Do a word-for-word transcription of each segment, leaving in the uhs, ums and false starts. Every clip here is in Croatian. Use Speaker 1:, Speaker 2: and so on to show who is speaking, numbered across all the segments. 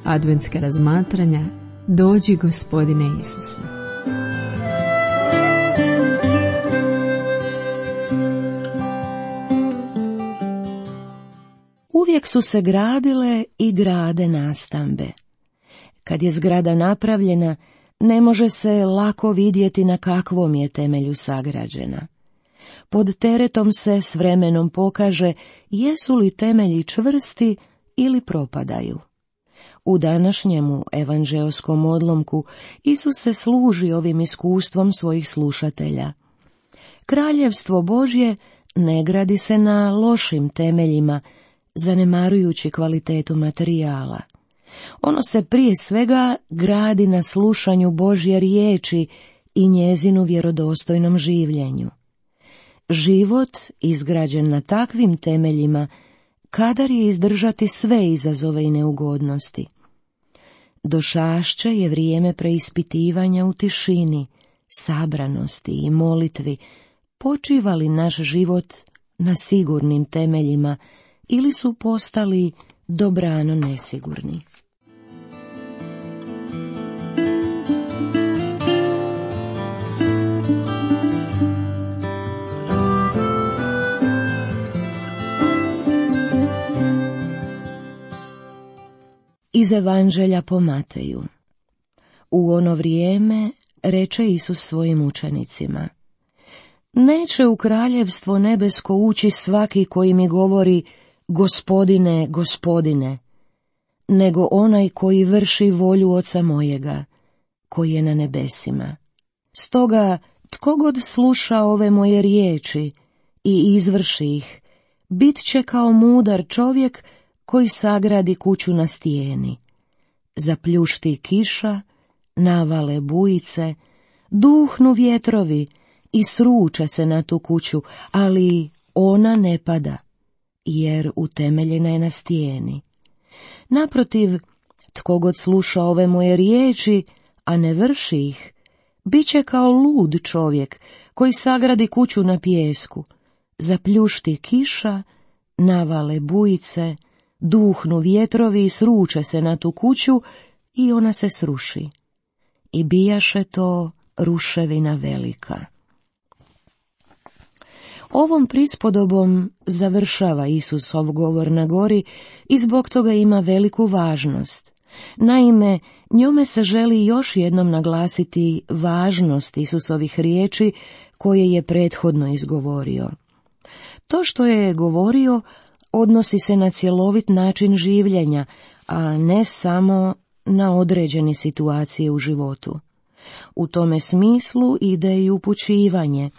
Speaker 1: Adventska razmatranja Dođi Gospodine Isuse.
Speaker 2: Uvijek su se gradile i grade nastambe. Kad je zgrada napravljena, ne može se lako vidjeti na kakvom je temelju sagrađena. Pod teretom se s vremenom pokaže jesu li temelji čvrsti ili propadaju. U današnjemu evanđeoskom odlomku Isus se služi ovim iskustvom svojih slušatelja. Kraljevstvo Božje ne gradi se na lošim temeljima, zanemarujući kvalitetu materijala. Ono se prije svega gradi na slušanju Božje riječi i njezinu vjerodostojnom življenju. Život izgrađen na takvim temeljima kadar je izdržati sve izazove i neugodnosti. Došašće je vrijeme preispitivanja u tišini, sabranosti i molitvi, počiva li naš život na sigurnim temeljima ili su postali dobrano nesigurni. Iz Evanđelja po Mateju. U ono vrijeme reče Isus svojim učenicima: Neće u kraljevstvo nebesko ući svaki koji mi govori Gospodine, Gospodine, nego onaj koji vrši volju Oca mojega, koji je na nebesima. Stoga, tko god sluša ove moje riječi i izvrši ih, bit će kao mudar čovjek koji sagradi kuću na stijeni. Zapljušti kiša, navale bujice, duhnu vjetrovi i sruče se na tu kuću, ali ona ne pada, jer utemeljena je na stijeni. Naprotiv, tko god sluša ove moje riječi, a ne vrši ih, bit će kao lud čovjek koji sagradi kuću na pijesku. Zapljušti kiša, navale bujice, duhnu vjetrovi i sruče se na tu kuću i ona se sruši. I bijaše to ruševina velika. Ovom prispodobom završava Isusov govor na gori i zbog toga ima veliku važnost. Naime, njome se želi još jednom naglasiti važnost Isusovih riječi koje je prethodno izgovorio. To što je govorio odnosi se na cjelovit način življenja, a ne samo na određene situacije u životu. U tome smislu ide i upućivanje.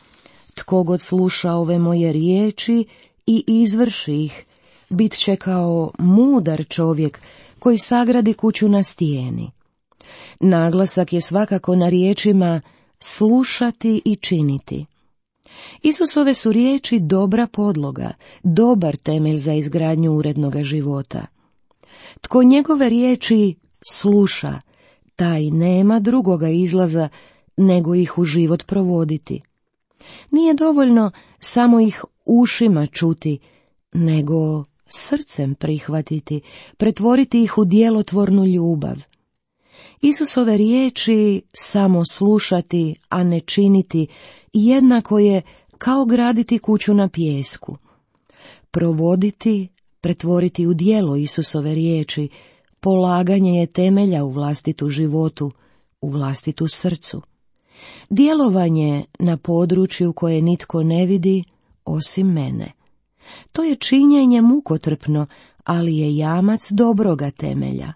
Speaker 2: Tko god sluša ove moje riječi i izvrši ih, bit će kao mudar čovjek koji sagradi kuću na stijeni. Naglasak je svakako na riječima slušati i činiti. Isusove su riječi dobra podloga, dobar temelj za izgradnju urednoga života. Tko njegove riječi sluša, taj nema drugoga izlaza nego ih u život provoditi. Nije dovoljno samo ih ušima čuti, nego srcem prihvatiti, pretvoriti ih u djelotvornu ljubav. Isusove riječi samo slušati, a ne činiti, jednako je kao graditi kuću na pijesku. Provoditi, pretvoriti u djelo Isusove riječi, polaganje je temelja u vlastitu životu, u vlastitu srcu. Djelovanje na području koje nitko ne vidi osim mene. To je činjenje mukotrpno, ali je jamac dobroga temelja.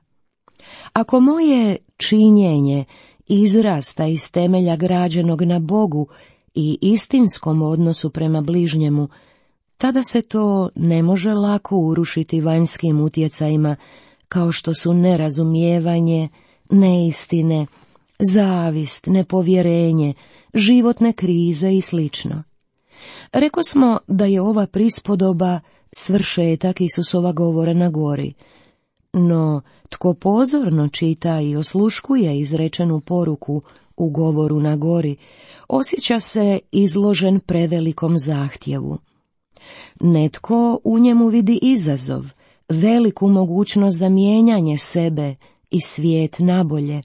Speaker 2: Ako moje činjenje izrasta iz temelja građenog na Bogu i istinskom odnosu prema bližnjemu, tada se to ne može lako urušiti vanjskim utjecajima kao što su nerazumijevanje, neistine, zavist, nepovjerenje, životne krize i slično. Rekosmo da je ova prispodoba svršetak Isusova govora na gori, no tko pozorno čita i osluškuje izrečenu poruku u govoru na gori, osjeća se izložen prevelikom zahtjevu. Netko u njemu vidi izazov, veliku mogućnost za mijenjanje sebe i svijet nabolje.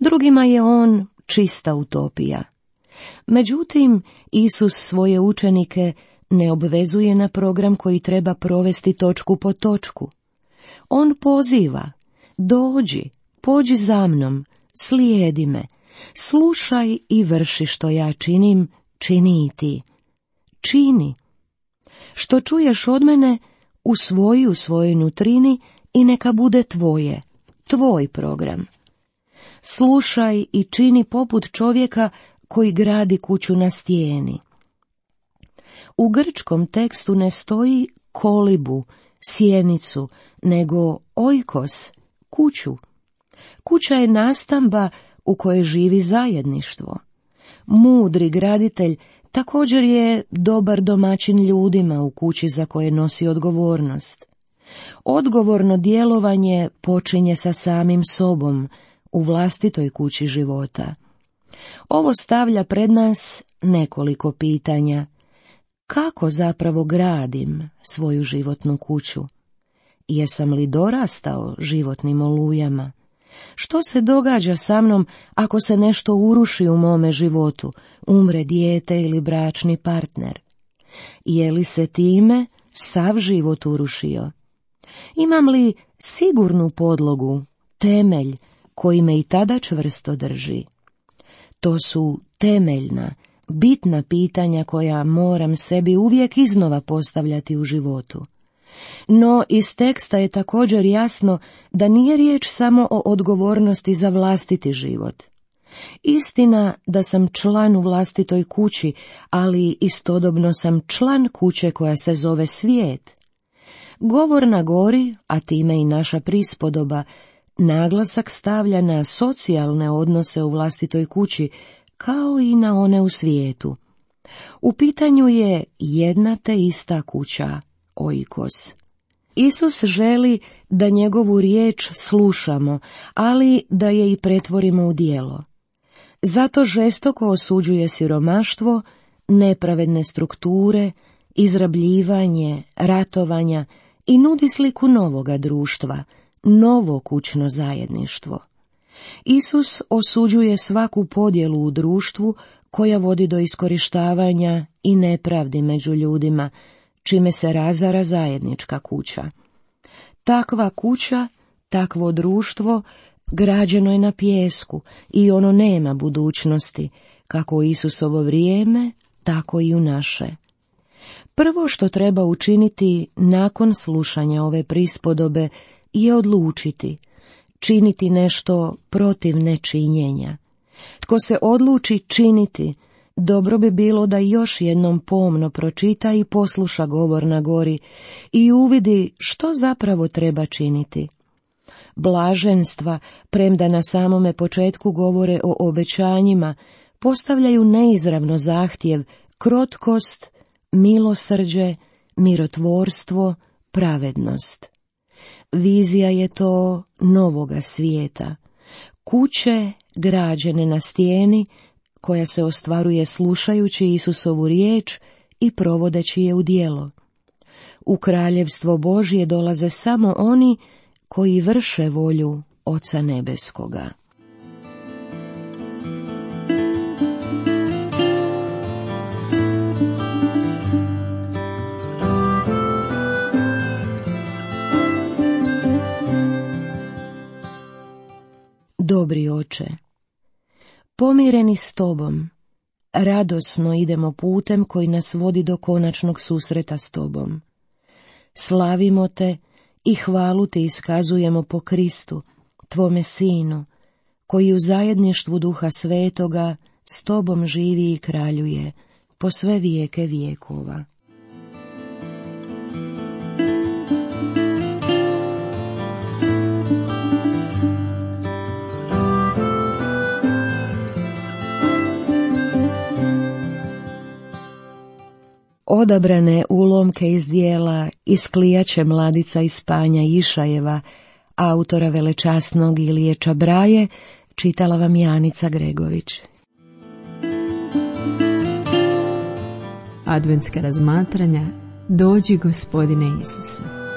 Speaker 2: Drugima je on čista utopija. Međutim, Isus svoje učenike ne obvezuje na program koji treba provesti točku po točku. On poziva: dođi, pođi za mnom, slijedi me, slušaj i vrši što ja činim, čini i ti. Čini. Što čuješ od mene, usvoji u svojoj nutrini i neka bude tvoje, tvoj program. Slušaj i čini poput čovjeka koji gradi kuću na stijeni. U grčkom tekstu ne stoji kolibu, sjenicu, nego oikos, kuću. Kuća je nastamba u kojoj živi zajedništvo. Mudri graditelj također je dobar domaćin ljudima u kući za koje nosi odgovornost. Odgovorno djelovanje počinje sa samim sobom u vlastitoj kući života. Ovo stavlja pred nas nekoliko pitanja. Kako zapravo gradim svoju životnu kuću? Jesam li dorastao životnim olujama? Što se događa sa mnom ako se nešto uruši u mome životu, umre dijete ili bračni partner? Je li se time sav život urušio? Imam li sigurnu podlogu, temelj koji me i tada čvrsto drži? To su temeljna, bitna pitanja koja moram sebi uvijek iznova postavljati u životu. No iz teksta je također jasno da nije riječ samo o odgovornosti za vlastiti život. Istina da sam član u vlastitoj kući, ali istodobno sam član kuće koja se zove svijet. Govor na gori, a time i naša prispodoba, naglasak stavlja na socijalne odnose u vlastitoj kući, kao i na one u svijetu. U pitanju je jedna te ista kuća, oikos. Isus želi da njegovu riječ slušamo, ali da je i pretvorimo u djelo. Zato žestoko osuđuje siromaštvo, nepravedne strukture, izrabljivanje, ratovanja i nudi sliku novoga društva, novo kućno zajedništvo. Isus osuđuje svaku podjelu u društvu koja vodi do iskorištavanja i nepravdi među ljudima, čime se razara zajednička kuća. Takva kuća, takvo društvo građeno je na pijesku i ono nema budućnosti, kako u Isusovo vrijeme, tako i u naše. Prvo što treba učiniti nakon slušanja ove prispodobe je odlučiti, činiti nešto protiv nečinjenja. Tko se odluči činiti, dobro bi bilo da još jednom pomno pročita i posluša govor na gori i uvidi što zapravo treba činiti. Blaženstva, premda na samome početku govore o obećanjima, postavljaju neizravno zahtjev, krotkost, milosrđe, mirotvorstvo, pravednost. Vizija je to novoga svijeta, kuće građene na stijeni, koja se ostvaruje slušajući Isusovu riječ i provodeći je u djelo. U kraljevstvo Božje dolaze samo oni koji vrše volju Oca Nebeskoga. Dobri Oče, pomireni s Tobom, radosno idemo putem koji nas vodi do konačnog susreta s Tobom. Slavimo Te i hvalu Ti iskazujemo po Kristu, Tvome Sinu, koji u zajedništvu Duha Svetoga s Tobom živi i kraljuje po sve vijeke vijekova. Odabrane ulomke iz dijela Isklijaće mladica iz Panja Išajeva, autora velečasnog Ilije Čabraje, čitala vam Janica Gregović.
Speaker 1: Adventska razmatranja Dođi Gospodine Isuse.